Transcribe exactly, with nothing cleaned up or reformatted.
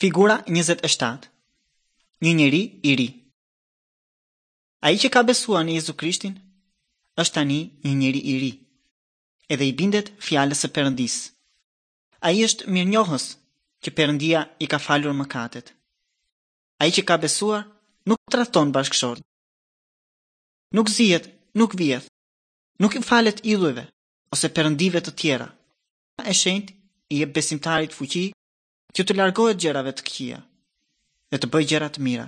Figura njëzet e shtatë. Një njeri i ri. Ai që ka besuar në Jezu Krishtin është tani një njeri i ri, edhe i bindet fjalës së Perëndisë. Ai është mirënjohës që Perëndia i ka falur mëkatet. Ai që ka besuar nuk tradhton bashkëshortin. Nuk zihet, nuk vjedh, nuk i falet idhujve ose perëndive të tjera. E shenjtë i jep besimtarit fuqi që të largohet gjërave të këqija dhe të bëjë gjëra të mira.